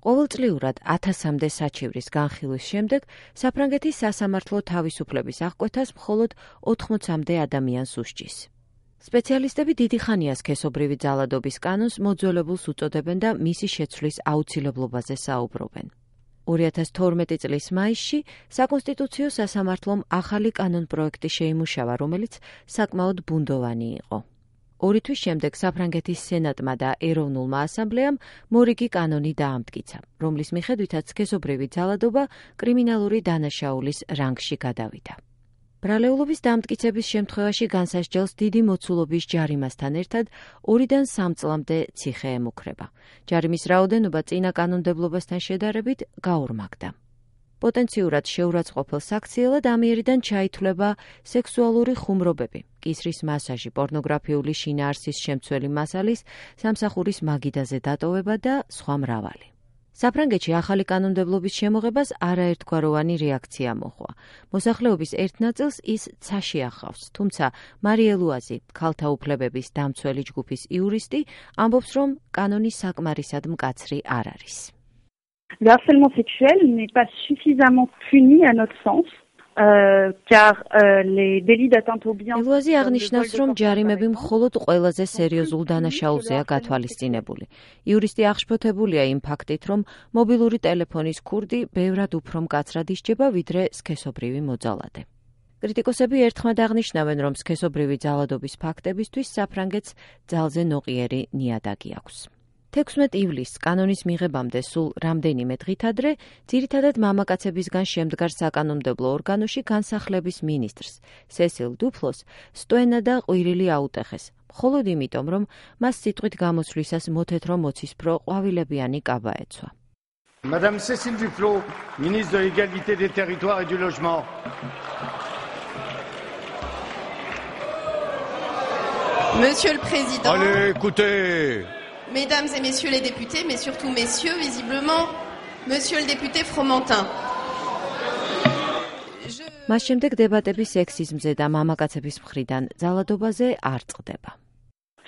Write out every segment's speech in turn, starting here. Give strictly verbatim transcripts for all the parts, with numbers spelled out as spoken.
ყოველწლიურად ათასამდე საჩივრის განხილვის შემდეგ საფრანგეთის სასამართლო თავისუფლების აღკვეთას მხოლოდ ოთხმოცამდე ადამიანს უსჯის. სპეციალისტები დიდი ხანია სქესობრივი ძალადობის კანონს მოძველებულს უწოდებენ და მისი შეცვლის აუცილებლობაზე საუბრობენ. ორი ათას თორმეტი წლის მაისში საკონსტიტუციო სასამართლომ ახალი კანონპროექტი შეიმუშავა, რომელიც საკმაოდ ბუნდოვანი იყო. ორი თვის შემდეგ საფრანგეთის სენატმა და ეროვნულმა ასამბლეამ მორიგი კანონი დაამტკიცა, რომლის მიხედვითაც სქესობრივი ძალადობა კრიმინალური დანაშაულის რანგში გადავიდა. ბრალეულობის დამტკიცების შემთხვევაში განსასჯელს დიდი მოცულობის ჯარიმასთან ერთად ორიდან სამ წლამდე ციხე ემუქრება. ჯარიმის რაოდენობა წინა კანონმდებლობასთან შედარებით გაორმაგდა. პოტენციურად შეურაცხყოფელ საქციელად ამიერიდან ჩაითვლება სექსუალური ხუმრობები, კისრის მასაჟი, პორნოგრაფიული შინაარსის შემცველი მასალის, სამსახურის მაგიდაზე დატოვება და სხვა მრავალი. საფრანგეთში ახალი კანონმდებლობის შემოღებას არაერთგვაროვანი რეაქცია მოჰყვა. მოსახლეობის ერთ ნაწილს ის ცაში ახავს, თუმცა მარიე ლუაზი, ქალთა უფლებების დამცველი ჯგუფის იურისტი, ამბობს, რომ კანონი საკმარისად მკაცრი არ არის. Le harcèlement sexuel n'est pas suffisamment puni à notre sens, euh, car euh, les délits d'atteinte au bien. ლუაზი აღნიშნავს, რომ ჯარიმები მხოლოდ ყველაზე სერიოზულ დანაშაულზეა გათვალისწინებული. იურისტი აღშფოთებულია იმ ფაქტით, რომ მობილური ტელეფონის ქურდი ბევრად უფრო მკაცრად ისჯება, ვიდრე სქესობრივი მოძალადე. კრიტიკოსები ერთხმად აღნიშნავენ, რომ სქესობრივი ძალადობის ფაქტებისთვის საფრანგეთს ძალზე ნოყიერი ნიადაგი აქვს. თექვსმეტ ივლისს კანონის მიღებამდე სულ რამდენიმე დღით ადრე, ძირითადად მამაკაცებისგან შემდგარ საკანონმდებლო ორგანოში განსახლების მინისტრს, სესილ დუფლოს, სტვენა და ყვირილი აუტეხეს, მხოლოდ იმიტომ, რომ მას სიტყვით გამოსვლისას მოთეთრო მოცისფრო ყვავილებიანი კაბა ეცვა. Madame Cécile Duflot, ministre de l'égalité des territoires et du logement. Monsieur le Président. Allez, écoutez. Mesdames et messieurs les députés, mais surtout messieurs, visiblement, monsieur le député Fromentin. მას შემდეგ დებატები სექსიზმზე და მამაკაცების მხრიდან ძალადობაზე არ წყდება.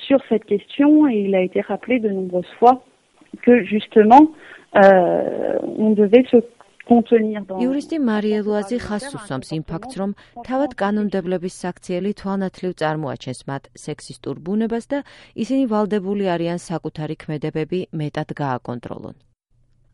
Sur cette question, il a été rappelé de nombreuses fois que justement euh, on devait se contenir dans. იურისტი მარიე ლუაზი ხაზს უსვამს იმ ფაქტს, რომ თავად კანონმდებლების საქციელი თვალნათლივ წარმოაჩენს მათ სექსისტურ ბუნებას და ისინი ვალდებული არიან საკუთარი ქმედებები მეტად გააკონტროლონ.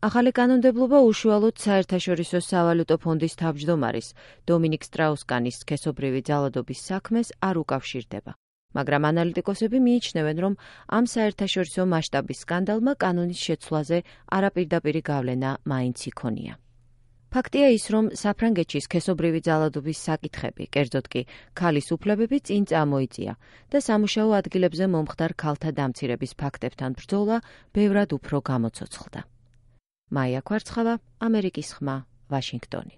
ახალი კანონმდებლობა უშუალოდ საერთაშორისო სავალუტო ფონდის თავმჯდომარის დომინიკ სტრაუს-კანის სქესობრივი ძალადობის საქმეს არ უკავშირდება. მაგრამ ანალიტიკოსები მიიჩნევენ, რომ ამ საერთაშორისო მასშტაბის სკანდალმა კანონის შეცვლაზე არაპირდაპირი გავლენა მაინც იქონია. ფაქტია ის, რომ საფრანგეთში სქესობრივი ძალადობის საკითხები, კერძოდ კი ქალის უფლებები წინ წამოიწია და სამუშაო ადგილებზე მომხდარ ქალთა დამცირების ფაქტებთან ბრძოლა ბევრად უფრო გამოცოცხლდა. მაია კვარცხავა, ამერიკის ხმა, ვაშინგტონი.